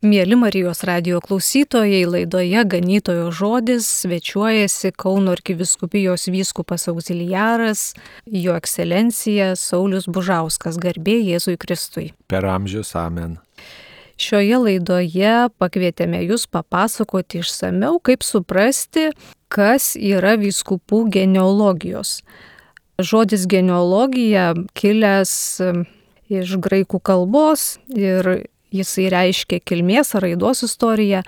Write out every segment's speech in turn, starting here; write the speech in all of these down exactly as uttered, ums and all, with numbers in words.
Mieli Marijos radijo klausytojai, laidoje Ganytojo žodis svečiuojasi Kauno arkivyskupijos vyskupas auxiliaras, jo ekscelencija Saulius Bužauskas, garbė Jėzui Kristui. Per amžius amen. Šioje laidoje pakvietėme jūs papasakoti išsamiau, kaip suprasti, kas yra vyskupų genealogijos. Žodis genealogija kilęs iš graikų kalbos ir jisai reiškia kilmės ar raidos istoriją,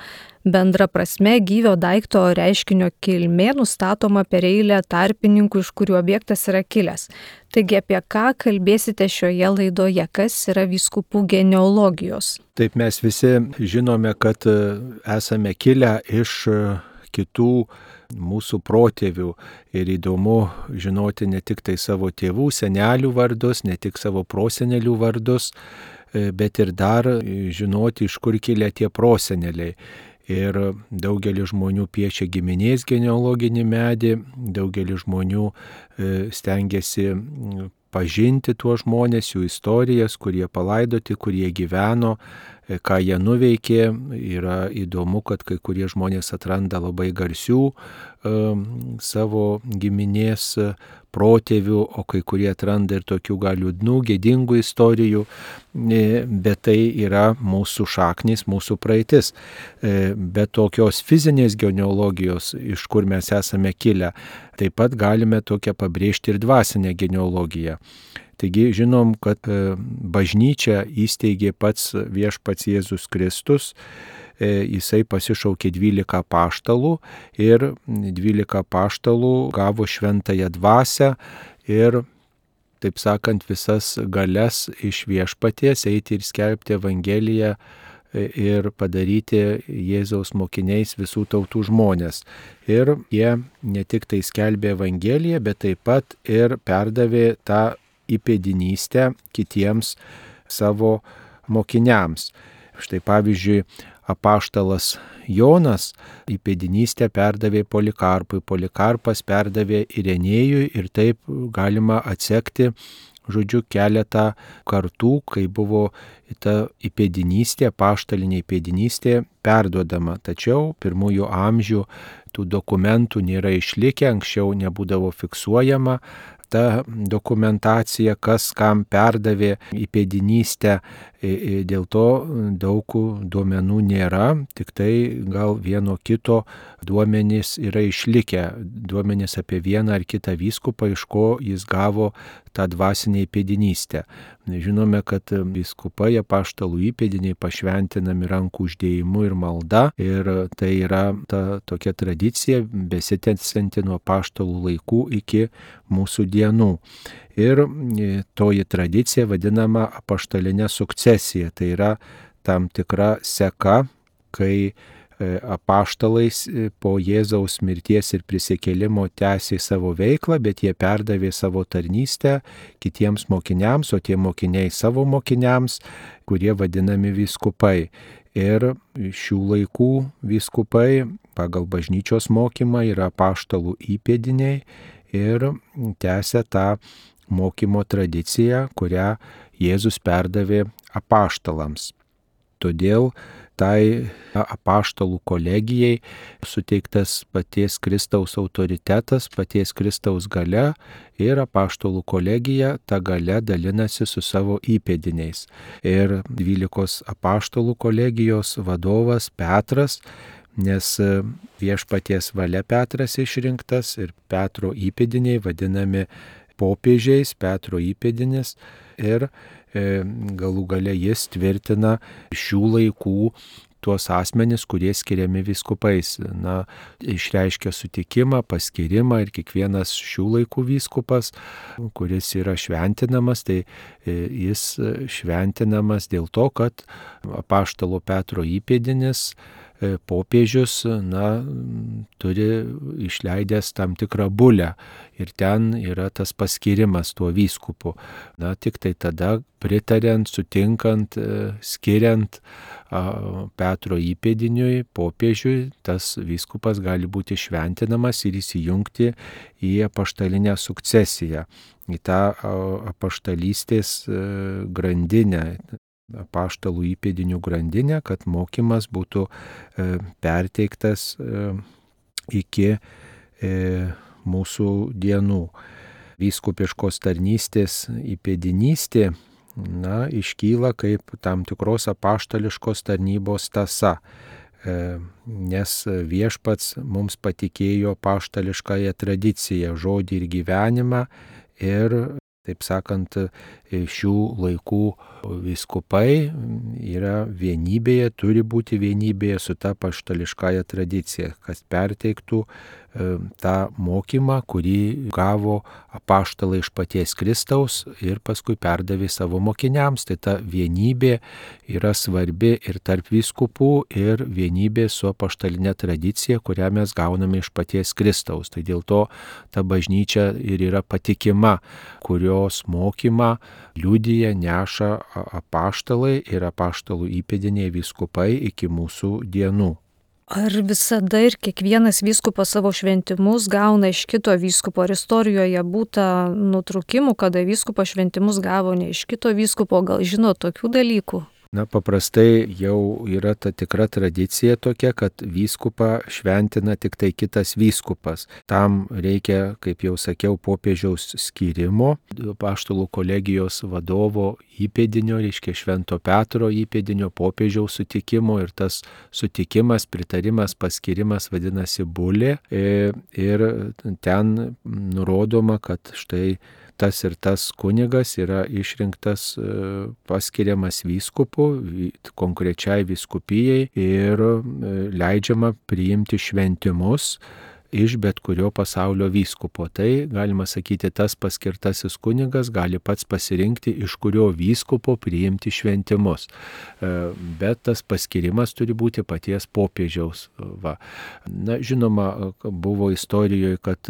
bendra prasme gyvio daikto reiškinio kilmė nustatoma per eilę tarpininkų, iš kurių objektas yra kilęs. Taigi apie ką kalbėsite šioje laidoje, kas yra vyskupų genealogijos? Taip, mes visi žinome, kad esame kilę iš kitų mūsų protėvių ir įdomu žinoti ne tik tai savo tėvų, senelių vardus, ne tik savo prosenelių vardus, bet ir dar žinoti, iš kur kilę tie proseneliai. Ir daugelis žmonių piešia giminės genealoginį medį, daugelis žmonių stengiasi pažinti tuos žmonės, jų istorijas, kurie palaidoti, kurie gyveno, ką jie nuveikė. Yra įdomu, kad kai kurie žmonės atranda labai garsių savo giminės protėvių, o kai kurie atranda ir tokių gal liūdnų, gėdingų istorijų, bet tai yra mūsų šaknys, mūsų praeitis. Bet tokios fizinės genealogijos, iš kur mes esame kilę, taip pat galime tokią pabrėžti ir dvasinę genealogiją. Taigi žinom, kad bažnyčią įsteigė pats viešpats Jėzus Kristus. Jisai pasišaukė dvylika apaštalų ir dvylika apaštalų gavo šventąją dvasią ir, taip sakant, visas galias iš viešpaties eiti ir skelbti Evangeliją ir padaryti Jėzaus mokiniais visų tautų žmonės. Ir jie ne tik tai skelbė Evangeliją, bet taip pat ir perdavė tą įpėdinystę kitiems savo mokiniams. Štai pavyzdžiui, apaštalas Jonas įpėdinystę perdavė Polikarpui, Polikarpas perdavė Irenėjui ir taip galima atsekti, žodžiu, keletą kartų, kai buvo ta įpėdinystė, apaštalinė įpėdinystė perduodama. Tačiau pirmųjų amžių tų dokumentų nėra išlikę, anksčiau nebūdavo fiksuojama ta dokumentacija, kas kam perdavė įpėdinystę, dėl to daug duomenų nėra, tik tai gal vieno kito duomenys yra išlikę, duomenys apie vieną ar kitą vyskupą, iš ko jis gavo tą dvasinę įpėdinystę. Žinome, kad vyskupai apaštalų įpėdiniai pašventinami rankų uždėjimu ir malda, ir tai yra ta tokia tradicija besitęsianti nuo apaštalų laikų iki mūsų dienų. Ir toji tradicija vadinama apaštalinė sukcesija, tai yra tam tikra seka, kai apaštalais po Jėzaus mirties ir prisikėlimo tęsė savo veiklą, bet jie perdavė savo tarnystę kitiems mokiniams, o tie mokiniai savo mokiniams, kurie vadinami vyskupai. Ir šių laikų vyskupai pagal bažnyčios mokymą yra apaštalų įpėdiniai ir tęsia tą mokymo tradiciją, kurią Jėzus perdavė apaštalams. Todėl tai apaštalų kolegijai suteiktas paties Kristaus autoritetas, paties Kristaus galia ir apaštalų kolegija tą galią dalinasi su savo įpėdiniais. Ir dvylikos apaštalų kolegijos vadovas Petras, nes viešpaties valia Petras išrinktas ir Petro įpėdiniai vadinami popiežiais, Petro įpėdinis, ir galų gale jis tvirtina šių laikų tuos asmenis, kurie skiriami vyskupais. Na, išreiškia sutikimą, paskirimą ir kiekvienas šių laikų vyskupas, kuris yra šventinamas, tai jis šventinamas dėl to, kad apaštalo Petro įpėdinis popiežius, na, turi išleidęs tam tikrą bulę ir ten yra tas paskirimas tuo vyskupu. Na, tik tai tada pritariant, sutinkant, skiriant Petro įpėdiniui, popiežiui, tas vyskupas gali būti šventinamas ir įsijungti į apaštalinę sukcesiją, į tą apaštalystės grandinę. apaštalų įpėdinių grandinę, kad mokymas būtų perteiktas iki mūsų dienų. Vyskupiškos tarnystės įpėdinystė, na, iškyla kaip tam tikros apaštališkos tarnybos tąsa, nes viešpats mums patikėjo apaštališkąją tradiciją, žodį ir gyvenimą ir, taip sakant, šių laikų vyskupai yra vienybėje, turi būti vienybėje su ta apaštališkąja tradicija, kas perteiktų tą mokymą, kurį gavo apaštalai iš paties Kristaus ir paskui perdavė savo mokiniams. Tai ta vienybė yra svarbi ir tarp vyskupų, ir vienybė su apaštalinė tradicija, kurią mes gauname iš paties Kristaus. Tai dėl to ta bažnyčia ir yra patikima, kurios mokymą liudija, neša apaštalai ir apaštalų įpėdiniai vyskupai iki mūsų dienų. Ar visada ir kiekvienas vyskupas savo šventimus gauna iš kito vyskupo? Ar istorijoje būta nutrūkimų, kada vyskupas šventimus gavo ne iš kito vyskupo? Gal žino tokių dalykų? Na, paprastai jau yra ta tikra tradicija tokia, kad vyskupą šventina tik tai kitas vyskupas. Tam reikia, kaip jau sakiau, popiežiaus skyrimo, apaštalų kolegijos vadovo įpėdinio, reiškia Švento Petro įpėdinio, popiežiaus sutikimo, ir tas sutikimas, pritarimas, paskirimas vadinasi bulė, ir ten nurodoma, kad štai tas ir tas kunigas yra išrinktas, paskiriamas vyskupu konkrečiai vyskupijai ir leidžiama priimti šventimus iš bet kurio pasaulio vyskupo. Tai, galima sakyti, tas paskirtasis kunigas gali pats pasirinkti, iš kurio vyskupo priimti šventimus. Bet tas paskirimas turi būti paties popiežiaus. Va. Na, žinoma, buvo istorijoje, kad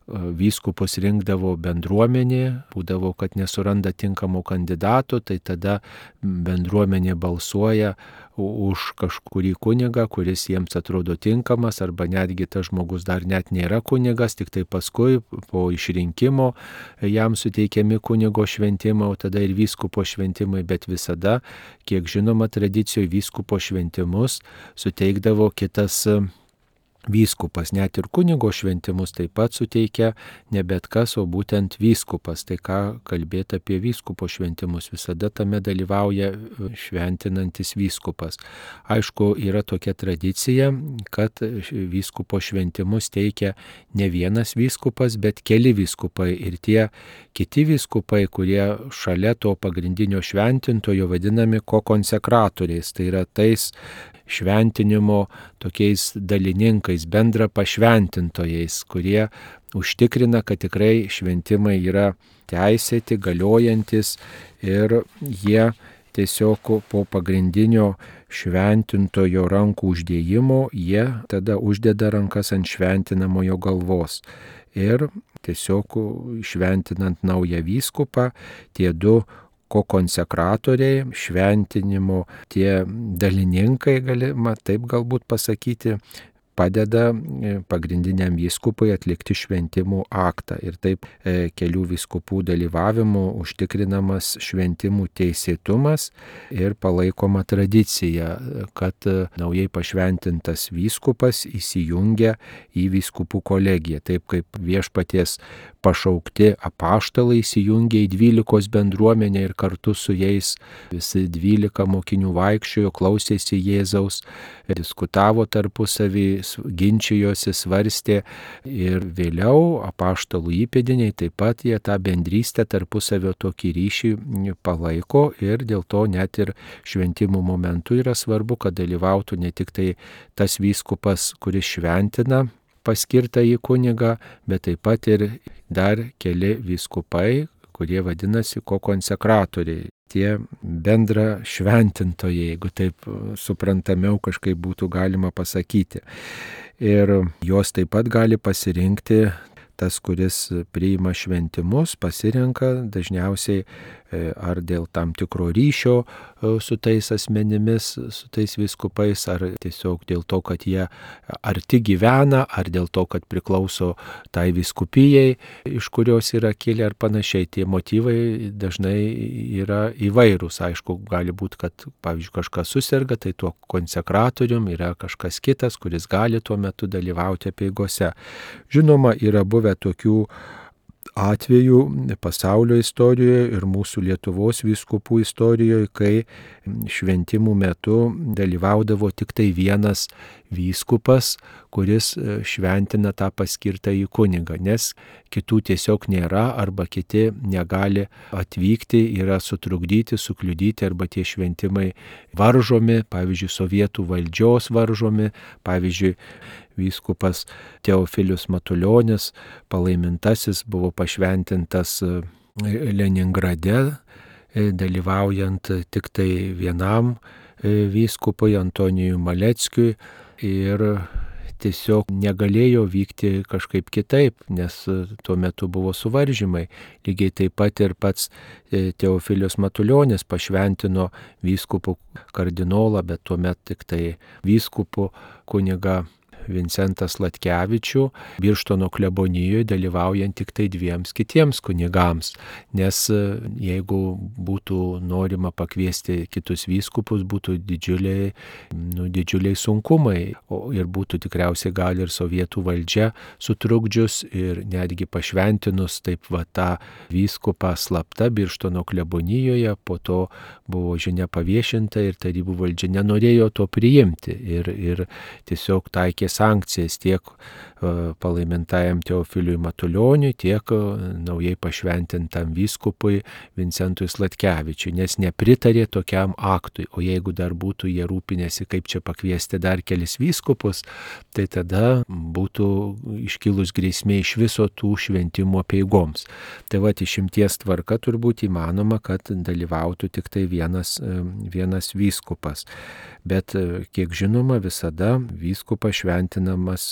vyskupus rinkdavo bendruomenė, būdavo, kad nesuranda tinkamo kandidato, tai tada bendruomenė balsuoja už kažkurį kunigą, kuris jiems atrodo tinkamas, arba netgi tas žmogus dar net nėra kunigas, tik tai paskui po išrinkimo jam suteikiami kunigo šventimai, o tada ir vyskupo šventimai, bet visada, kiek žinoma, tradicijoje vyskupo šventimus suteikdavo kitas vyskupas. Net ir kunigo šventimus taip pat suteikia ne bet kas, o būtent vyskupas. Tai ką kalbėti apie vyskupo šventimus, visada tame dalyvauja šventinantis vyskupas. Aišku, yra tokia tradicija, kad vyskupo šventimus teikia ne vienas vyskupas, bet keli vyskupai, ir tie kiti vyskupai, kurie šalia to pagrindinio šventintojo vadinami kokonsekratoriais, tai yra tais šventinimo tokiais dalininkais, bendra pašventintojais, kurie užtikrina, kad tikrai šventimai yra teisėti, galiojantis, ir jie tiesiog po pagrindinio šventintojo rankų uždėjimo, jie tada uždeda rankas ant šventinamojo galvos. Ir tiesiog šventinant naują vyskupą, tie du kokonsekratoriai, šventinimo tie dalininkai, galima taip galbūt pasakyti, padeda pagrindiniam vyskupui atlikti šventimų aktą. Ir taip e, kelių vyskupų dalyvavimu užtikrinamas šventimų teisėtumas ir palaikoma tradicija, kad naujai pašventintas vyskupas įsijungia į vyskupų kolegiją. Taip kaip viešpaties pašaukti apaštalai įsijungia į dvylikos bendruomenę ir kartu su jais visi dvylika mokinių vaikščiojo, klausėsi Jėzaus, diskutavo tarpusavį, ginčijosi, svarstė, ir vėliau apaštalų įpėdiniai taip pat jie tą bendrystę tarpusavio tokį ryšį palaiko, ir dėl to net ir šventimų momentu yra svarbu, kad dalyvautų ne tik tai tas vyskupas, kuris šventina paskirtą į kunigą, bet taip pat ir dar keli vyskupai, kurie vadinasi kokonsekratoriai. Tie bendra šventintojai, jeigu taip suprantamiau kažkaip būtų galima pasakyti. Ir jos taip pat gali pasirinkti, tas, kuris priima šventimus, pasirenka dažniausiai ar dėl tam tikro ryšio su tais asmenimis, su tais vyskupais, ar tiesiog dėl to, kad jie arti gyvena, ar dėl to, kad priklauso tai vyskupijai, iš kurios yra kilę ar panašiai. Tie motyvai dažnai yra įvairūs. Aišku, gali būti, kad, pavyzdžiui, kažkas susirga, tai tuo konsekratorium yra kažkas kitas, kuris gali tuo metu dalyvauti apeigose. Žinoma, yra buvę tokių atvejų pasaulio istorijoje ir mūsų Lietuvos vyskupų istorijoje, kai šventimų metu dalyvaudavo tik tai vienas vyskupas, kuris šventina tą paskirtąjį kunigą, nes kitų tiesiog nėra arba kiti negali atvykti, yra sutrukdyti, sukliudyti arba tie šventimai varžomi, pavyzdžiui, sovietų valdžios varžomi, pavyzdžiui, vyskupas Teofilius Matuljonis, palaimintasis, buvo pašventintas Leningrade, dalyvaujant tik tai vienam vyskupui Antonijui Maleckiui ir tiesiog negalėjo vykti kažkaip kitaip, nes tuo metu buvo suvaržymai. Lygiai taip pat ir pats Teofilius Matuljonis pašventino vyskupų kardinolą, bet tuomet tik tai vyskupų kunigą Vincentą Sladkevičių Birštono klebonijoje, dalyvaujant tik tai dviems kitiems kunigams, nes jeigu būtų norima pakviesti kitus vyskupus, būtų didžiuliai, nu, didžiuliai sunkumai, o ir būtų tikriausiai gal ir sovietų valdžia sutrukdžius ir netgi pašventinus taip va tą vyskupą slapta Birštono klebonijoje, po to buvo žinia paviešinta ir tarybų valdžia nenorėjo to priimti ir, ir tiesiog taikė sankcijas tiek palaimintajam Teofiliui Matulioniui, tiek naujai pašventintam vyskupui Vincentui Sladkevičiui, nes nepritarė tokiam aktui. O jeigu dar būtų jie rūpinėsi, kaip čia pakviesti dar kelis vyskupus, tai tada būtų iškilus grėsmė iš viso tų šventimų apeigoms. Tai va, išimties tvarka turbūt įmanoma, kad dalyvautų tik tai vienas, vienas vyskupas. Bet, kiek žinoma, visada vyskupas šventinamas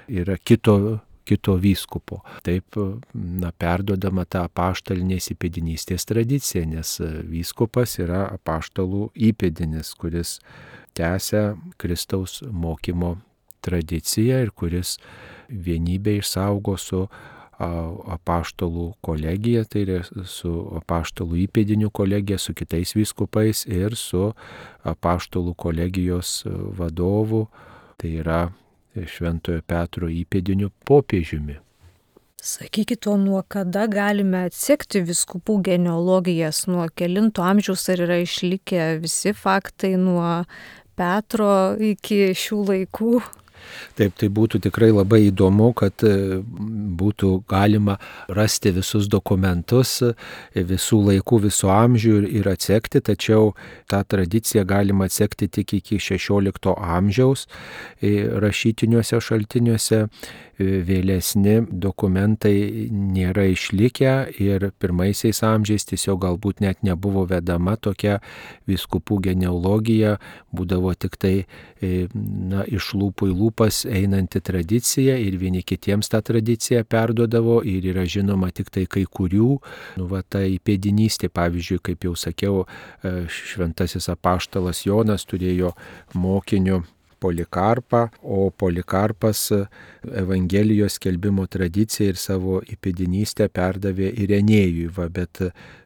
yra kito, kito vyskupo. Taip, na, perduodama ta apaštalinės įpėdinystės tradicija, nes vyskupas yra apaštalų įpėdinis, kuris tęsia Kristaus mokymo tradiciją ir kuris vienybę išsaugo su apaštalų kolegija, tai yra su apaštalų įpėdinių kolegija, su kitais vyskupais ir su apaštalų kolegijos vadovu, tai yra Šventojo Petro įpėdiniu popiežiumi. Sakykit, o nuo kada galime atsekti vyskupų genealogijas, nuo kelinto amžiaus, ar yra išlikę visi faktai nuo Petro iki šių laikų? Taip, tai būtų tikrai labai įdomu, kad būtų galima rasti visus dokumentus visų laikų, visų amžių ir, ir atsekti, tačiau tą tradiciją galima atsekti tik iki šešiolikto amžiaus rašytiniuose šaltiniuose. Vėlesni dokumentai nėra išlikę ir pirmaisiais amžiais tiesiog galbūt net nebuvo vedama tokia vyskupų genealogija, būdavo tik tai, na, iš lūpų į lūpas einanti tradicija ir vieni kitiems tą tradiciją perduodavo ir yra žinoma tik tai kai kurių, nu, va, ta įpėdinystė, pavyzdžiui, kaip jau sakiau, šventasis apaštalas Jonas turėjo mokinių Polikarpą, o Polikarpas Evangelijos skelbimo tradiciją ir savo įpėdinystę perdavė Irenėjui, va, bet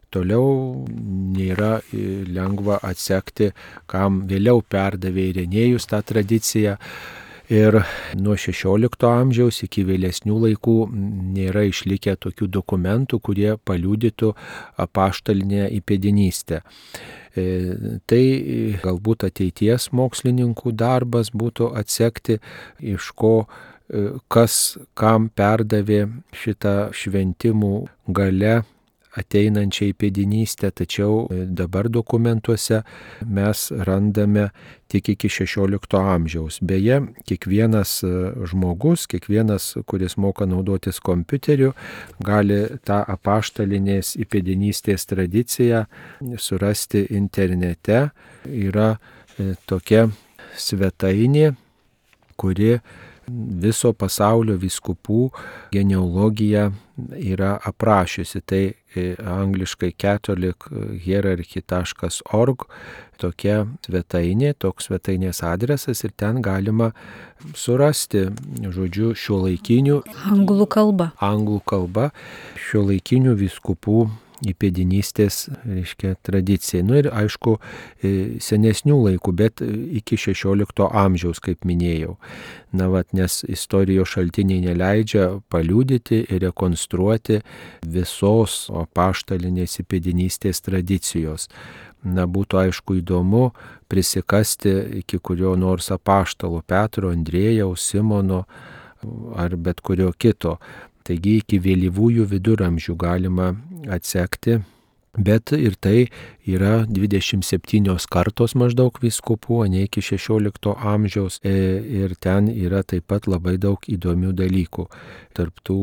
toliau nėra lengva atsekti, kam vėliau perdavė Irenėjus tą tradiciją. Ir nuo šešiolikto amžiaus iki vėlesnių laikų nėra išlikę tokių dokumentų, kurie paliudytų apaštalinę įpėdinystę. Tai galbūt ateities mokslininkų darbas būtų atsekti, iš ko, kas kam perdavė šitą šventimų gale ateinančią įpėdinystę, tačiau dabar dokumentuose mes randame tik iki šešiolikto amžiaus. Beje, kiekvienas žmogus, kiekvienas, kuris moka naudotis kompiuteriu, gali tą apaštalinės įpėdinystės tradiciją surasti internete. Yra tokia svetainė, kuri viso pasaulio vyskupų genealogija yra aprašiusi. Tai angliškai catholic hierarchy taškas org tokia svetainė, toks svetainės adresas ir ten galima surasti, žodžiu, šiuolaikinių Anglų kalba. Anglų kalba šiuolaikinių vyskupų įpėdinystės, reiškia, tradicija. Nu ir aišku, senesnių laikų, bet iki šešiolikto amžiaus, kaip minėjau. Na vat, nes istorijos šaltiniai neleidžia paliudyti ir rekonstruoti visos apaštalinės įpėdinystės tradicijos. Na, būtų aišku įdomu prisikasti iki kurio nors apaštalo Petro, Andriejaus, Simono ar bet kurio kito. Taigi iki vėlyvųjų viduramžių galima atsekti, bet ir tai yra dvidešimt septynios kartos maždaug vyskupų, ne iki šešiolikto amžiaus ir ten yra taip pat labai daug įdomių dalykų. Tarp tų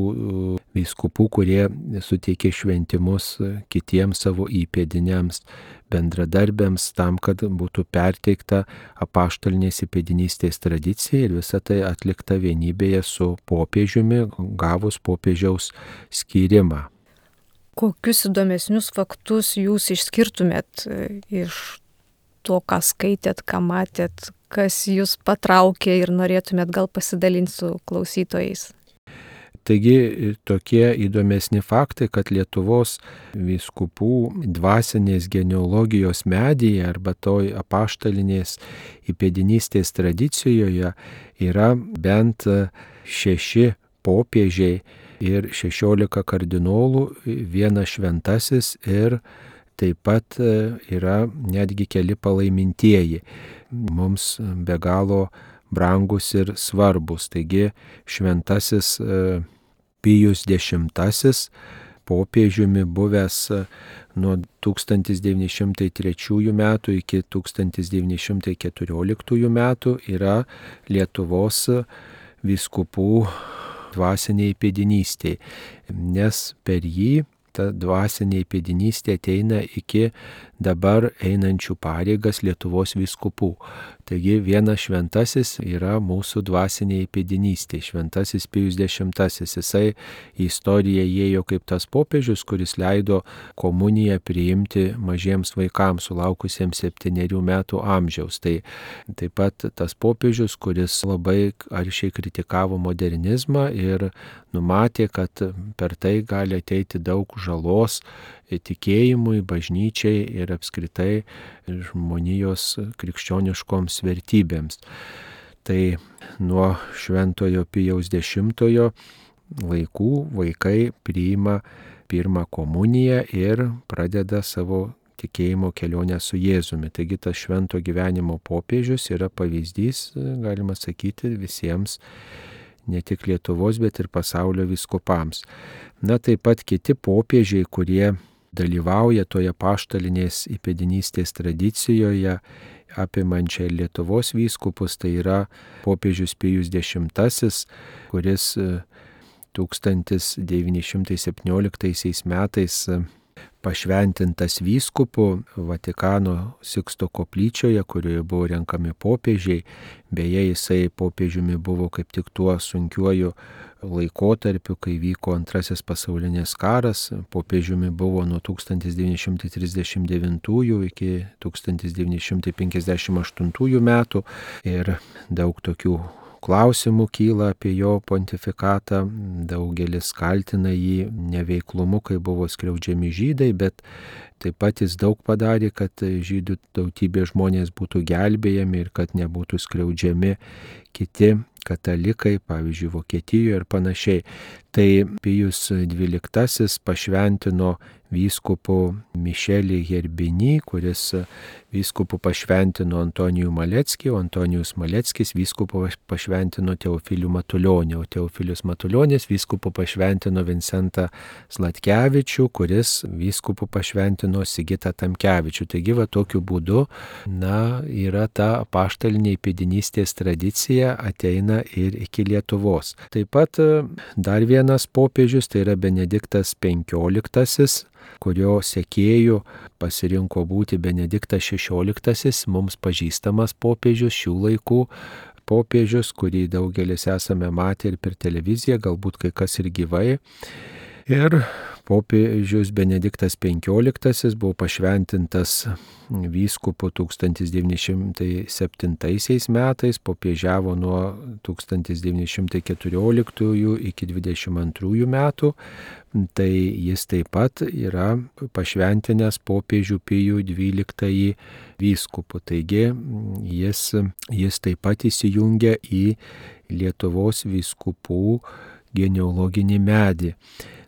vyskupų, kurie suteikė šventimus kitiems savo įpėdiniams, bendradarbiams, tam, kad būtų perteikta apaštalinės įpėdinystės tradicija ir visa tai atlikta vienybėje su popiežiumi, gavus popiežiaus skyrimą. Kokius įdomesnius faktus jūs išskirtumėt iš to, ką skaitėt, ką matėt, kas jūs patraukė ir norėtumėt gal pasidalinti su klausytojais? Taigi tokie įdomesni faktai, kad Lietuvos vyskupų dvasinės genealogijos medyje arba toj apaštalinės įpėdinystės tradicijoje yra bent šeši popiežiai ir šešiolika kardinolų, vienas šventasis ir taip pat yra netgi keli palaimintieji. Mums be galo brangus ir svarbus. Taigi šventasis Pijus dešimtasis, popiežiumi buvęs nuo tūkstantis devyni šimtai trečiųjų metų iki tūkstantis devyni šimtai keturioliktųjų metų, yra Lietuvos vyskupų dvasinė įpėdinystė, nes per jį ta dvasinė įpėdinystė ateina iki dabar einančių pareigas Lietuvos vyskupų. Taigi vienas šventasis yra mūsų dvasinė įpėdinystė, šventasis Pijus dešimtasis. Jisai į istoriją įėjo kaip tas popiežius, kuris leido komuniją priimti mažiems vaikams sulaukusiems septynerių metų amžiaus. Tai taip pat tas popiežius, kuris labai aršiai kritikavo modernizmą ir numatė, kad per tai gali ateiti daug žalos tikėjimui, bažnyčiai ir apskritai žmonijos krikščioniškoms vertybėms. Tai nuo šventojo Pijaus dešimtojo laikų vaikai priima pirmą komuniją ir pradeda savo tikėjimo kelionę su Jėzumi. Taigi tas švento gyvenimo popiežius yra pavyzdys, galima sakyti, visiems, ne tik Lietuvos, bet ir pasaulio vyskupams. Na, taip pat kiti popiežiai, kurie dalyvauja toje apaštalinės įpėdinystės tradicijoje, apimančią Lietuvos vyskupus, tai yra popiežius Pijus dešimtasis, kuris tūkstantis devyni šimtai septynioliktaisiais metais pašventintas vyskupu Vatikano Siksto koplyčioje, kurioje buvo renkami popiežiai. Beje, jisai popiežiumi buvo kaip tik tuo sunkiuoju laikotarpiu, kai vyko antrasis pasaulinis karas. Popiežiumi buvo nuo tūkstantis devyni šimtai trisdešimt devintųjų iki tūkstantis devyni šimtai penkiasdešimt aštuntųjų metų ir daug tokių klausimų kyla apie jo pontifikatą, daugelis kaltina jį neveiklumu, kai buvo skriaudžiami žydai, bet taip pat jis daug padarė, kad žydų tautybės žmonės būtų gelbėjami ir kad nebūtų skriaudžiami kiti katalikai, pavyzdžiui, Vokietijoje ir panašiai. Tai Pijus dvyliktasis pašventino vyskupu Mišelį Herbinį, kuris vyskupu pašventino Antonijų Maleckį, o Antonijus Maleckis vyskupu pašventino Teofilių Matulionį, o Teofilius Matulionis vyskupu pašventino Vincentą Zlatkevičių, kuris vyskupu pašventino Sigitą Tamkevičių. Taigi, va, tokiu būdu, na, yra ta apaštalinė įpėdinystės tradicija ateina ir iki Lietuvos. Taip pat dar vienas popiežius, tai yra Benediktas penkioliktasis, kurio sekėjų pasirinko būti Benediktas šešioliktasis, mums pažįstamas popiežius šių laikų, popiežius, kurį daugelis esame matę ir per televiziją, galbūt kai kas ir gyvai. Ir popiežius Benediktas penkioliktasis buvo pašventintas vyskupu tūkstantis devyni šimtai septintaisiais metais, popiežiavo nuo tūkstantis devyni šimtai keturioliktųjų iki dvidešimt antrųjų metų. Tai jis taip pat yra pašventinęs popiežių Pijų dvyliktąjį vyskupu. Taigi jis, jis taip pat įsijungia į Lietuvos vyskupų genealoginį medį.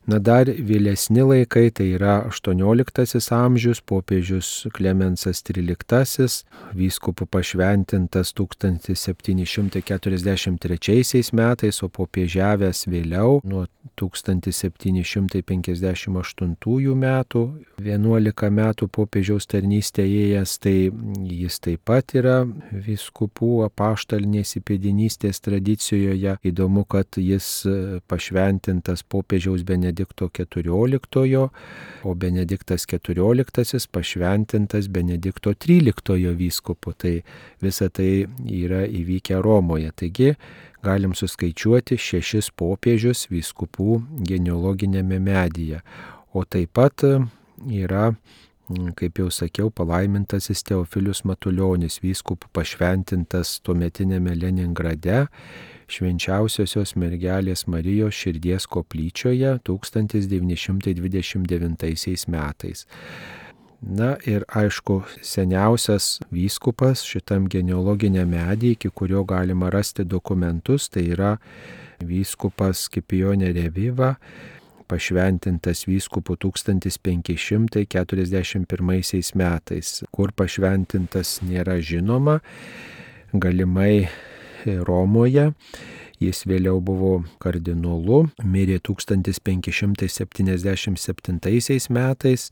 Na dar vėlesni laikai, tai yra aštuonioliktasis amžius, popiežius Klemensas tryliktasis, vyskupu pašventintas tūkstantis septyni šimtai keturiasdešimt trečiaisiais metais, o popiežiavęs vėliau nuo tūkstantis septyni šimtai penkiasdešimt aštuntųjų metų, vienuolika metų popiežiaus tarnystę ėjęs, tai jis taip pat yra vyskupų apaštalinės įpėdinystės tradicijoje. Įdomu, kad jis pašventintas popiežiaus Benedikto keturioliktojo, o Benediktas keturioliktasis pašventintas Benedikto tryliktojo vyskupu. Tai visa tai yra įvykę Romoje. Taigi galim suskaičiuoti šešis popiežius vyskupų genealoginėme medyje. O taip pat yra, kaip jau sakiau, palaimintasis Teofilius Matuljonis, vyskupų pašventintas tuometinėme Leningrade, Švenčiausiosios mergelės Marijos širdies koplyčioje tūkstantis devyni šimtai dvidešimt devintaisiais metais. Na ir aišku, seniausias vyskupas šitam genealoginiam medį, iki kurio galima rasti dokumentus, tai yra vyskupas Scipionė Reviva, pašventintas vyskupu tūkstantis penki šimtai keturiasdešimt pirmaisiais metais. Kur pašventintas nėra žinoma, galimai Romoje. Jis vėliau buvo kardinolu, mirė tūkstantis penki šimtai septyniasdešimt septintaisiais metais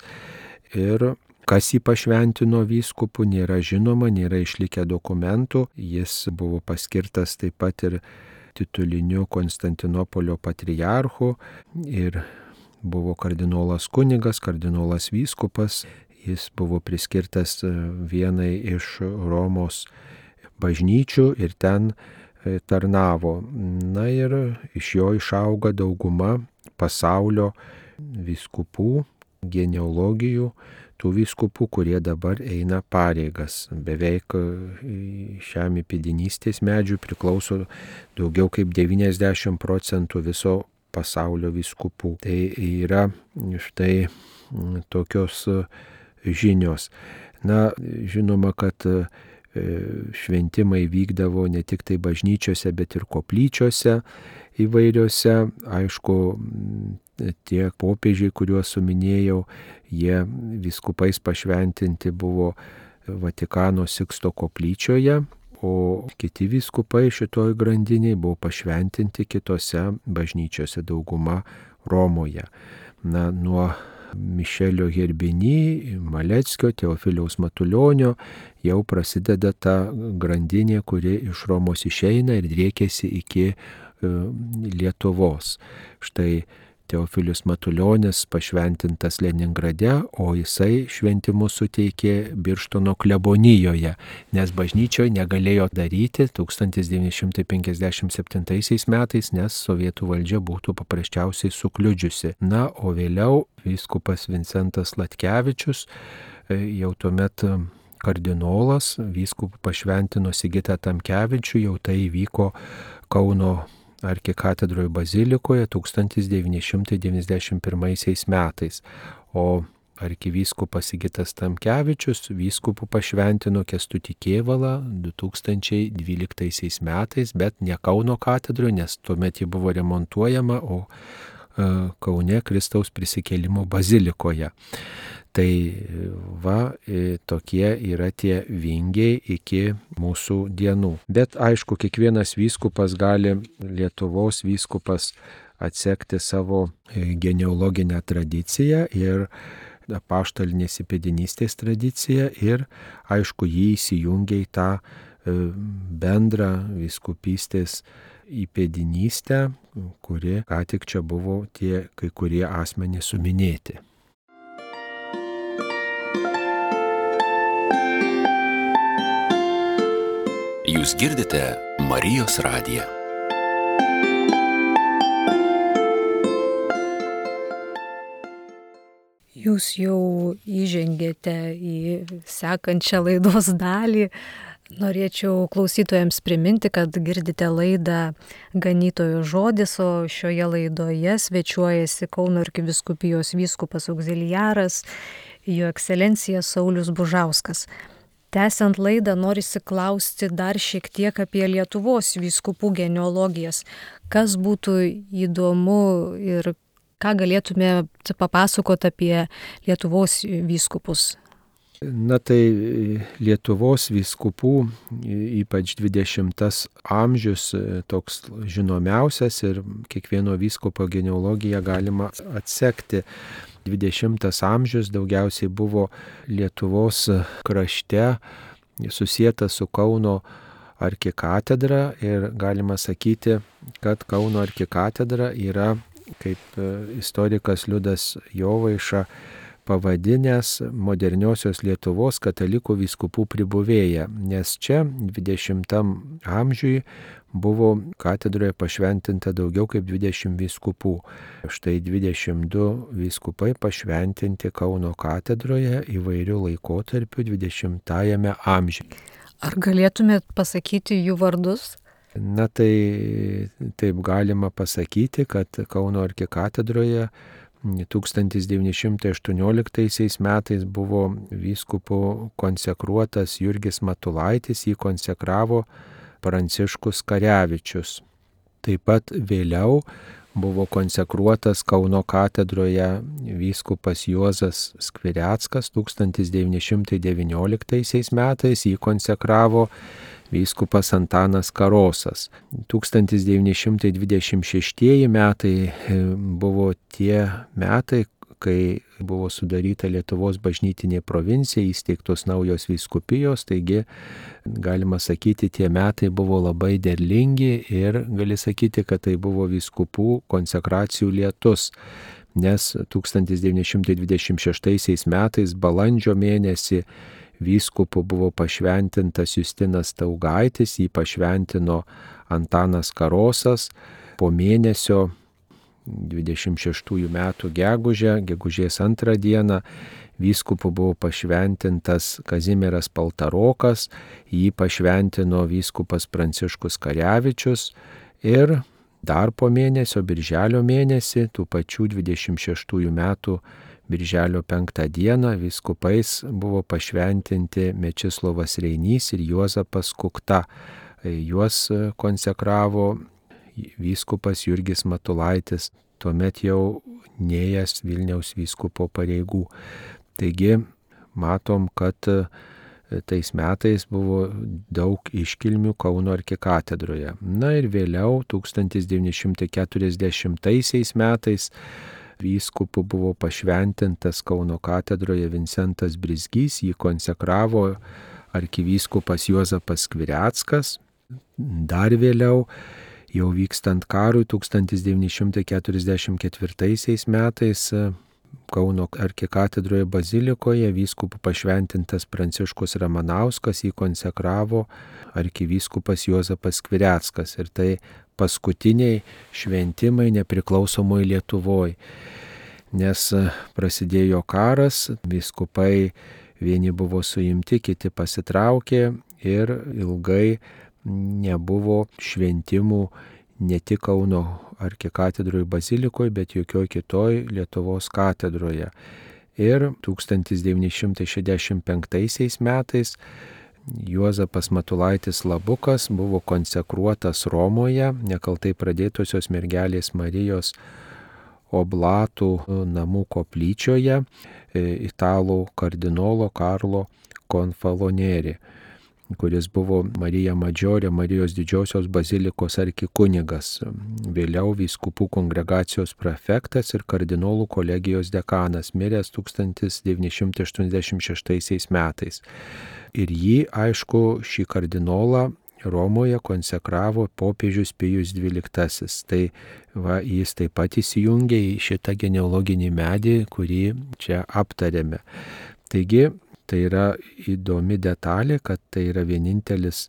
ir kas jį pašventino vyskupu nėra žinoma, nėra išlikę dokumentų. Jis buvo paskirtas taip pat ir tituliniu Konstantinopolio patriarchu ir buvo kardinolas kunigas, kardinolas vyskupas. Jis buvo priskirtas vienai iš Romos bažnyčių ir ten tarnavo. Na ir iš jo išauga dauguma pasaulio vyskupų, genealogijų, tų vyskupų, kurie dabar eina pareigas. Beveik šiam įpėdinystės medžiui priklauso daugiau kaip devyniasdešimt procentų viso pasaulio vyskupų. Tai yra štai tokios žinios. Na, žinoma, kad šventimai vykdavo ne tik tai bažnyčiose, bet ir koplyčiose įvairiose. Aišku, tie popiežiai, kuriuos suminėjau, jie vyskupais pašventinti buvo Vatikano Siksto koplyčioje, o kiti vyskupai šitoj grandiniai buvo pašventinti kitose bažnyčiose, dauguma Romoje. Na, nuo Mišelio Herbini, Maleckio, Teofiliaus Matuljonio jau prasideda ta grandinė, kuri iš Romos išeina ir driekiasi iki Lietuvos. Štai Teofilius Matuljonis pašventintas Leningrade, o jisai šventimus suteikė Birštono klebonijoje, nes bažnyčioje negalėjo daryti tūkstantis devyni šimtai penkiasdešimt septintaisiais metais, nes sovietų valdžia būtų paprasčiausiai sukliudžiusi. Na, o vėliau vyskupas Vincentas Latkevičius, jau tuomet kardinolas, vyskupų pašventino Sigitą Tamkevičių, jau tai įvyko Kauno arkikatedroje bazilikoje tūkstantis devyni šimtai devyniasdešimt pirmaisiais metais. O arkivyskupas Sigitas Tamkevičius vyskupų pašventino Kęstutį Kėvalą du tūkstančiai dvyliktaisiais metais, bet ne Kauno katedroje, nes tuomet ji buvo remontuojama, o Kaune Kristaus prisikėlimo bazilikoje. Tai va, tokie yra tie vingiai iki mūsų dienų. Bet aišku, kiekvienas vyskupas gali, Lietuvos vyskupas, atsekti savo genealoginę tradiciją ir apaštalinės įpėdinystės tradiciją ir aišku, jį įsijungia į tą bendrą vyskupystės įpėdinystę, kuri ką tik čia buvo tie kai kurie asmenys suminėti. Jūs girdite Marijos radiją. Jūs jau įžengėte į sekančią laidos dalį. Norėčiau klausytojams priminti, kad girdite laidą Ganytojo žodis, o šioje laidoje svečiuojasi Kauno arkivyskupijos vyskupas augziliaras, jo ekscelencija Saulius Bužauskas. Tęsiant laidą, norisi klausti dar šiek tiek apie Lietuvos vyskupų genealogijas. Kas būtų įdomu ir ką galėtume papasakoti apie Lietuvos vyskupus? Na tai Lietuvos vyskupų, ypač dvidešimtas amžius, toks žinomiausias ir kiekvieno vyskupo genealogiją galima atsekti. dvidešimtas amžius daugiausiai buvo Lietuvos krašte susietas su Kauno arkikatedra ir galima sakyti, kad Kauno arkikatedra yra, kaip istorikas Liudas Jovaiša pavadinęs, moderniosios Lietuvos katalikų vyskupų pribuvėja, nes čia dvidešimtam amžiui buvo katedroje pašventinta daugiau kaip dvidešimt vyskupų. Štai dvidešimt du vyskupai pašventinti Kauno katedroje įvairių laikotarpių dvidešimtajame amžiuje. Ar galėtumėt pasakyti jų vardus? Na tai taip galima pasakyti, kad Kauno arkikatedroje tūkstantis devyni šimtai aštuonioliktaisiais metais buvo vyskupu konsekruotas Jurgis Matulaitis, jį konsekravo Pranciškus Karevičius. Taip pat vėliau buvo konsekruotas Kauno katedroje vyskupas Juozas Skvireckas, tūkstantis devyni šimtai devynioliktaisiais metais jį konsekravo vyskupas Antanas Karosas. tūkstantis devyni šimtai dvidešimt šeštieji metai buvo tie metai, kai buvo sudaryta Lietuvos bažnytinė provincija, įsteigtos naujos vyskupijos, taigi galima sakyti, tie metai buvo labai derlingi ir gali sakyti, kad tai buvo vyskupų konsekracijų lietus, nes tūkstantis devyni šimtai dvidešimt šeštaisiais metais balandžio mėnesį vyskupu buvo pašventintas Justinas Staugaitis, jį pašventino Antanas Karosas. Po mėnesio dvidešimt šeštųjų metų gegužę, gegužės antrą dieną, vyskupu buvo pašventintas Kazimieras Paltarokas, jį pašventino vyskupas Pranciškus Karevičius ir dar po mėnesio, birželio mėnesį, tų pačių dvidešimt šeštųjų metų birželio penktą dieną vyskupais buvo pašventinti Mečislovas Reinys ir Juozapas Kukta. Juos konsekravo vyskupas Jurgis Matulaitis, tuomet jau nėjęs Vilniaus vyskupo pareigų. Taigi matom, kad tais metais buvo daug iškilmių Kauno arkikatedroje. Na ir vėliau tūkstantis devyni šimtai keturiasdešimtaisiais metais vyskupu buvo pašventintas Kauno katedroje Vincentas Brizgys, jį konsekravo arkivyskupas Juozapas Skvireckas. Dar vėliau, jau vykstant karui, tūkstantis devyni šimtai keturiasdešimt ketvirtaisiais metais Kauno arkikatedroje bazilikoje vyskupu pašventintas Pranciškus Ramanauskas, jį konsekravo arkivyskupas Juozapas Skvireckas. Ir tai paskutiniai šventimai nepriklausomoje Lietuvoje, nes prasidėjo karas, vyskupai vieni buvo suimti, kiti pasitraukė ir ilgai nebuvo šventimų ne tik Kauno arkikatedroje bazilikoje, bet jokioj kitoj Lietuvos katedroje. Ir tūkstantis devyni šimtai šešiasdešimt penktaisiais metais Juozapas Matulaitis Labukas buvo konsekruotas Romoje, nekaltai pradėtosios mergelės Marijos oblatų namų koplyčioje, italų kardinolo Karlo Konfalonieri, kuris buvo Marija Madžiorė, Marijos didžiosios bazilikos arkikunigas, vėliau vyskupų kongregacijos prefektas ir kardinolų kolegijos dekanas, miręs tūkstantis devyni šimtai aštuoniasdešimt šeštaisiais metais. Ir jį, aišku, šį kardinolą Romoje konsekravo popiežius Pijus dvyliktasis. Tai va, jis taip pat įsijungė į šitą genealoginį medį, kurį čia aptarėme. Taigi, tai yra įdomi detalė, kad tai yra vienintelis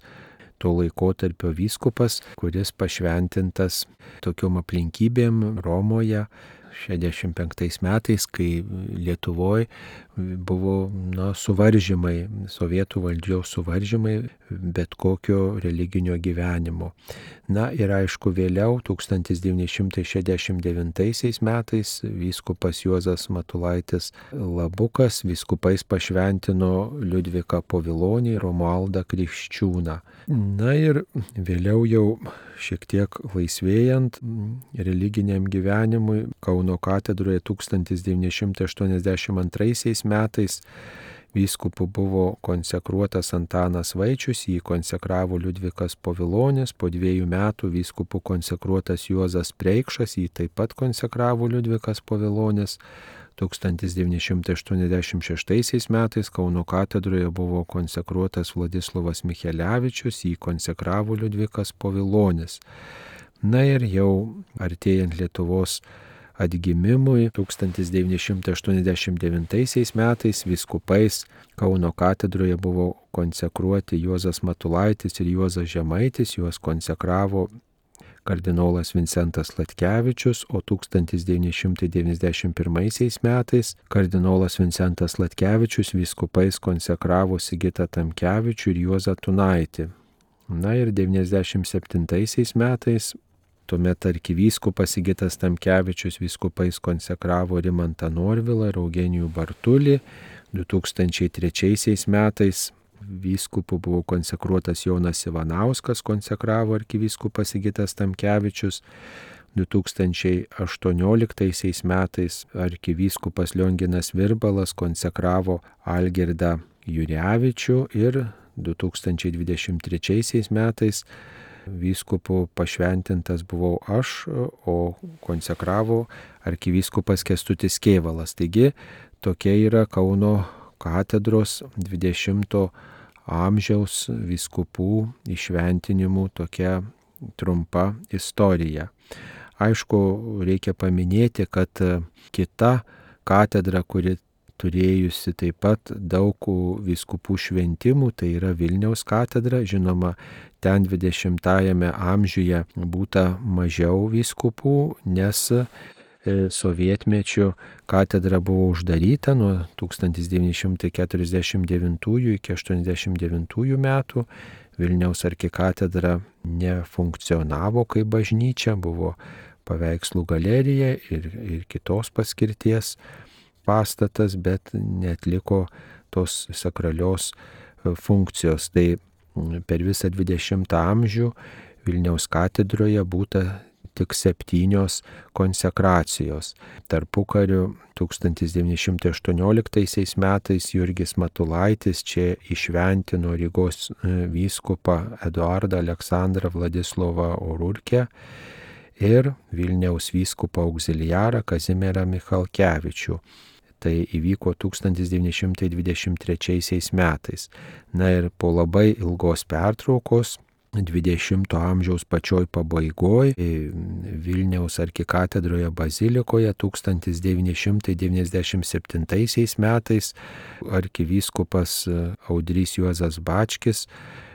to laikotarpio vyskupas, kuris pašventintas tokiom aplinkybėm Romoje šešiasdešimt penktais metais, kai Lietuvoje buvo na, suvaržymai, sovietų valdžios suvaržymai bet kokio religinio gyvenimo. Na ir aišku, vėliau tūkstantis devyni šimtai šešiasdešimt devintaisiais metais vyskupas Juozas Matulaitis Labukas vyskupais pašventino Liudviką Povilonį, Romualdą Krikščiūną. Na ir vėliau jau šiek tiek laisvėjant religiniam gyvenimui Kauno katedroje tūkstantis devyni šimtai aštuoniasdešimt antraisiais metais vyskupu buvo konsekruotas Antanas Vaičius, jį konsekravo Liudvikas Povilonis, po dviejų metų vyskupu konsekruotas Juozas Preikšas, jį taip pat konsekravo Liudvikas Povilonis. tūkstantis devyni šimtai aštuoniasdešimt šeštaisiais metais Kauno katedroje buvo konsekruotas Vladislovas Michelevičius, jį konsekravo Liudvikas Povilonis. Na ir jau artėjant Lietuvos atgimimui tūkstantis devyni šimtai aštuoniasdešimt devintaisiais metais vyskupais Kauno katedroje buvo konsekruoti Juozas Matulaitis ir Juozas Žemaitis, juos konsekravo kardinolas Vincentas Latkevičius, o tūkstantis devyni šimtai devyniasdešimt pirmaisiais metais kardinolas Vincentas Latkevičius vyskupais konsekravo Sigitą Tamkevičių ir Juozą Tunaitį. Na ir devyniasdešimt septintaisiais metais tuomet arkivyskupas Sigitas Tamkevičius vyskupais konsekravo Rimantą Norvilą ir Eugenijų Bartulį. du tūkstančiai trečiaisiais metais vyskupu buvo konsekruotas Jonas Ivanauskas, konsekravo arkivyskupas Sigitas Tamkevičius. du tūkstančiai aštuonioliktaisiais metais arkivyskupas Lionginas Virbalas konsekravo Algirdą Jurevičių ir du tūkstančiai dvidešimt trečiaisiais metais vyskupu pašventintas buvau aš, o konsekravo arkivyskupas Kęstutis Kėvalas. Taigi tokia yra Kauno katedros dvidešimto amžiaus vyskupų įšventinimų tokia trumpa istorija. Aišku, reikia paminėti, kad kita katedra, kuri turėjusi taip pat daug vyskupų šventimų, tai yra Vilniaus katedra. Žinoma, ten dvidešimtajame amžiuje būta mažiau vyskupų, nes sovietmečiu katedra buvo uždaryta nuo tūkstantis devyni šimtai keturiasdešimt devintųjų iki aštuoniasdešimt devintųjų metų. Vilniaus arkikatedra nefunkcionavo kaip bažnyčia, buvo paveikslų galerija ir, ir kitos paskirties pastatas, bet neatliko tos sakralios funkcijos. Tai per visą dvidešimtą amžių Vilniaus katedroje būta tik septynios konsekracijos. Tarpukariu tūkstantis devyni šimtai aštuonioliktaisiais metais Jurgis Matulaitis čia įšventino Rygos vyskupą Eduardą Aleksandrą Vladislovą Orurkę ir Vilniaus vyskupą auxiliarą Kazimierą Michalkevičių. Tai įvyko tūkstantis devyni šimtai dvidešimt trečiaisiais metais. Na ir po labai ilgos pertraukos dvidešimto amžiaus pačioj pabaigoj Vilniaus arkikatedroje bazilikoje tūkstantis devyni šimtai devyniasdešimt septintaisiais metais arkivyskupas Audrys Juozas Bačkis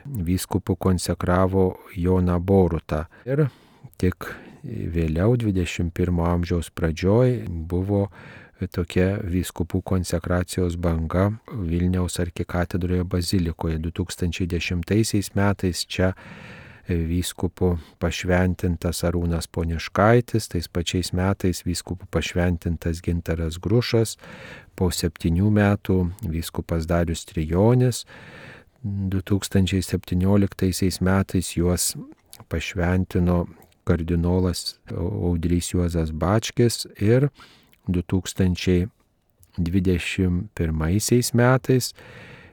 vyskupu konsekravo Joną Borutą. Ir tik vėliau dvidešimt pirmo amžiaus pradžioj buvo tokia vyskupų konsekracijos banga Vilniaus arkikatedroje bazilikoje. du tūkstančiai dešimtaisiais metais čia vyskupu pašventintas Arūnas Poniškaitis, tais pačiais metais vyskupu pašventintas Gintaras Grušas, po septynių metų vyskupas Darius Trijonis, du tūkstančiai septynioliktaisiais metais juos pašventino kardinolas Audrys Juozas Bačkis ir du tūkstančiai dvidešimt pirmaisiais metais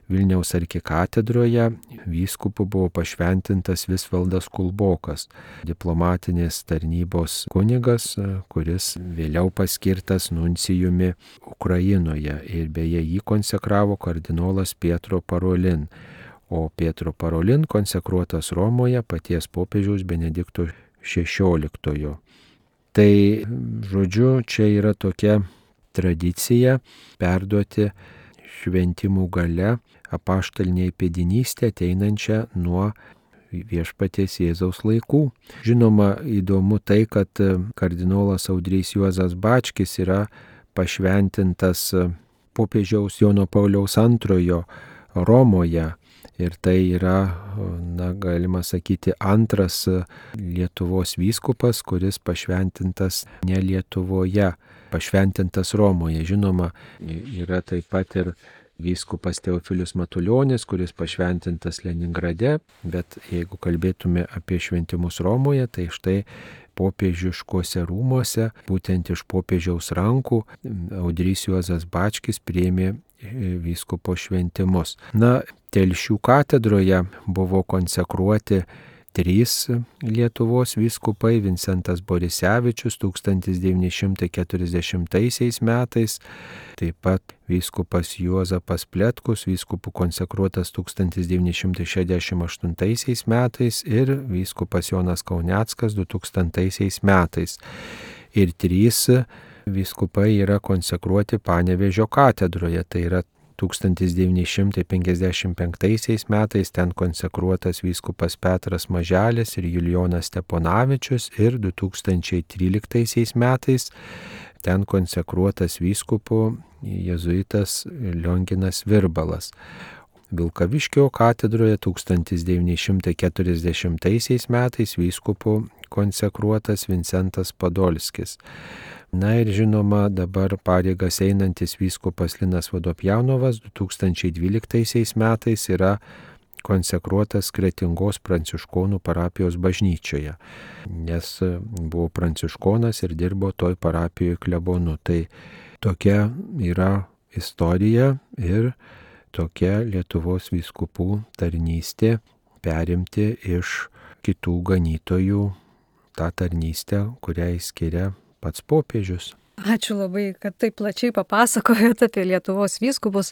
Vilniaus arkikatedroje vyskupu buvo pašventintas Visvaldas Kulbokas, diplomatinės tarnybos kunigas, kuris vėliau paskirtas nuncijumi Ukrainoje ir beje jį konsekravo kardinolas Pietro Parolin, o Pietro Parolin konsekruotas Romoje paties popiežiaus Benedikto šešioliktojo. Tai, žodžiu, čia yra tokia tradicija perduoti šventimų gale apaštalinę įpėdinystę ateinančią nuo viešpaties Jėzaus laikų. Žinoma, įdomu tai, kad kardinolas Audrys Juozas Bačkis yra pašventintas popiežiaus Jono Pauliaus antrojo Romoje. Ir tai yra, na, galima sakyti, antras Lietuvos vyskupas, kuris pašventintas ne Lietuvoje, pašventintas Romoje. Žinoma, yra taip pat ir vyskupas Teofilius Matuljonis, kuris pašventintas Leningrade, bet jeigu kalbėtume apie šventimus Romoje, tai štai popiežiškuose rūmuose, būtent iš popiežiaus rankų, Audrys Juozas Bačkis priėmė vyskupo šventimus. Na, Telšių katedroje buvo konsekruoti trys Lietuvos vyskupai: Vincentas Borisevičius tūkstantis devyni šimtai keturiasdešimtaisiais metais, taip pat vyskupas Juozapas Pletkus, vyskupų konsekruotas tūkstantis devyni šimtai šešiasdešimt aštuntaisiais metais, ir vyskupas Jonas Kauneckas du tūkstantaisiais metais. Ir trys vyskupai yra konsekruoti Panevėžio katedroje, tai yra tūkstantis devyni šimtai penkiasdešimt penktaisiais metais ten konsekruotas vyskupas Petras Maželis ir Julijonas Steponavičius, ir du tūkstančiai tryliktaisiais metais ten konsekruotas vyskupu jėzuitas Lionginas Virbalas. Vilkaviškio katedroje tūkstantis devyni šimtai keturiasdešimtaisiais metais vyskupu konsekruotas Vincentas Podolskis. Na ir žinoma, dabar pareigas einantis vyskupas Linas Vodopjanovas du tūkstančiai dvyliktaisiais metais yra konsekruotas Kretingos pranciškonų parapijos bažnyčioje, nes buvo pranciškonas ir dirbo toj parapijoje klebonu. Tai tokia yra istorija ir tokia Lietuvos vyskupų tarnystė, perimti iš kitų ganytojų tą tarnystę, kurią skiria pats popiežius. Ačiū labai, kad taip plačiai papasakojot apie Lietuvos vyskupus.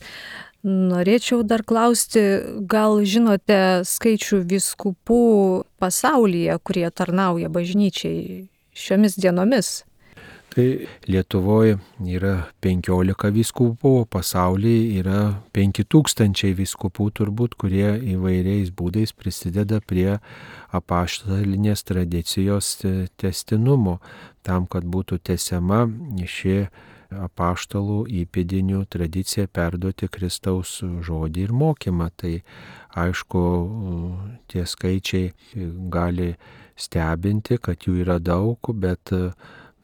Norėčiau dar klausti, gal žinote skaičių vyskupų pasaulyje, kurie tarnauja bažnyčiai šiomis dienomis? Tai Lietuvoje yra penkiolika vyskupų, pasaulyje yra penki tūkstančiai vyskupų turbūt, kurie įvairiais būdais prisideda prie apaštalinės tradicijos tęstinumo, tam, kad būtų tęsiama ši apaštalų įpėdinių tradicija perduoti Kristaus žodį ir mokymą. Tai aišku, tie skaičiai gali stebinti, kad jų yra daug, bet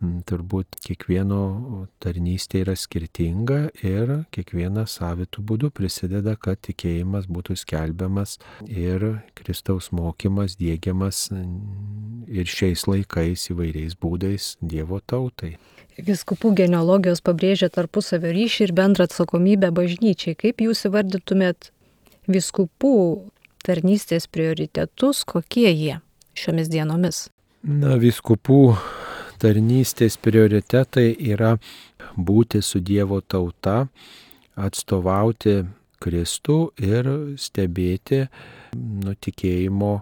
turbūt kiekvieno tarnystė yra skirtinga ir kiekvienas savitų būdų prisideda, kad tikėjimas būtų skelbiamas ir Kristaus mokymas diegiamas ir šiais laikais įvairiais būdais Dievo tautai. Vyskupų genealogijos pabrėžia tarpusavio ryšį ir bendrą atsakomybę bažnyčiai. Kaip jūs įvardytumėt vyskupų tarnystės prioritetus, kokie jie šiomis dienomis? Na, vyskupų tarnystės prioritetai yra būti su Dievo tauta, atstovauti Kristų ir stebėti nutikėjimo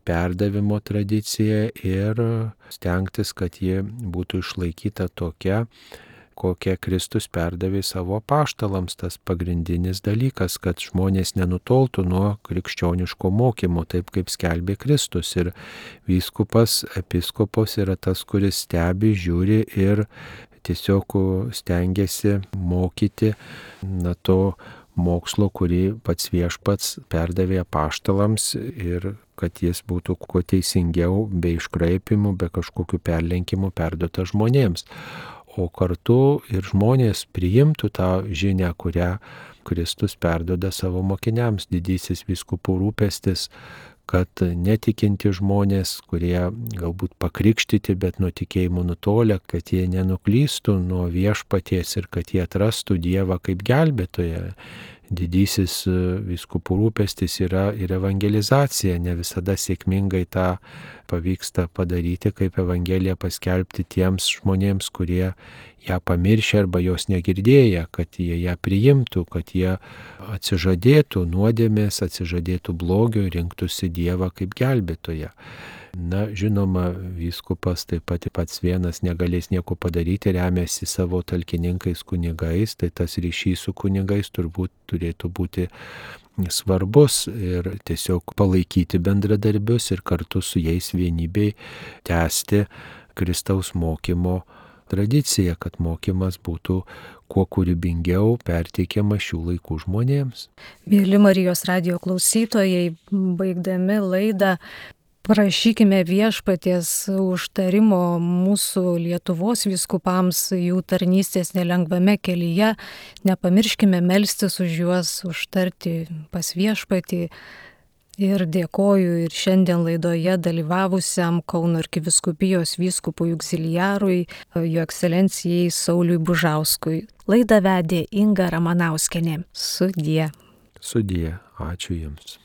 perdavimo tradiciją ir stengtis, kad ji būtų išlaikyta tokia, kokią Kristus perdavė savo apaštalams. Tas pagrindinis dalykas, kad žmonės nenutoltų nuo krikščioniško mokymo, taip kaip skelbė Kristus. Ir vyskupas, episkopas yra tas, kuris stebi, žiūri ir tiesiog stengiasi mokyti na, to mokslo, kurį pats viešpats perdavė apaštalams, ir kad jis būtų kuo teisingiau, be iškraipimų, be kažkokių perlenkimų perduota žmonėms. O kartu ir žmonės priimtų tą žinią, kurią Kristus perduoda savo mokiniams. Didysis vyskupų rūpestis, kad netikinti žmonės, kurie galbūt pakrikštyti, bet nuo tikėjimo nutolę, kad jie nenuklystų nuo viešpaties ir kad jie atrastų Dievą kaip gelbėtoją. Didysis vyskupų rūpestis yra ir evangelizacija. Ne visada sėkmingai tą pavyksta padaryti, kaip evangeliją paskelbti tiems žmonėms, kurie ją pamiršę arba jos negirdėję, kad jie ją priimtų, kad jie atsižadėtų nuodėmės, atsižadėtų blogio ir rinktųsi Dievą kaip gelbėtoją. Na, žinoma, vyskupas taip pat pats vienas negalės nieko padaryti, remiasi savo talkininkais kunigais, tai tas ryšys su kunigais turbūt turėtų būti svarbus ir tiesiog palaikyti bendradarbius ir kartu su jais vienybei tęsti Kristaus mokymo tradiciją, kad mokymas būtų kuo kūrybingiau perteikiamas šių laikų žmonėms. Mėly Marijos radijo klausytojai, baigdami laidą, prašykime viešpaties užtarimo mūsų Lietuvos vyskupams jų tarnystės nelengvame kelyje. Nepamirškime melstis už juos, užtarti pas viešpatį. Ir dėkoju ir šiandien laidoje dalyvavusiam Kauno arkivyskupijos vyskupui auxiliarui, jo ekscelencijai Sauliui Bužauskui. Laidą vedė Inga Ramanauskienė. Sudie. Sudie. Ačiū Jums.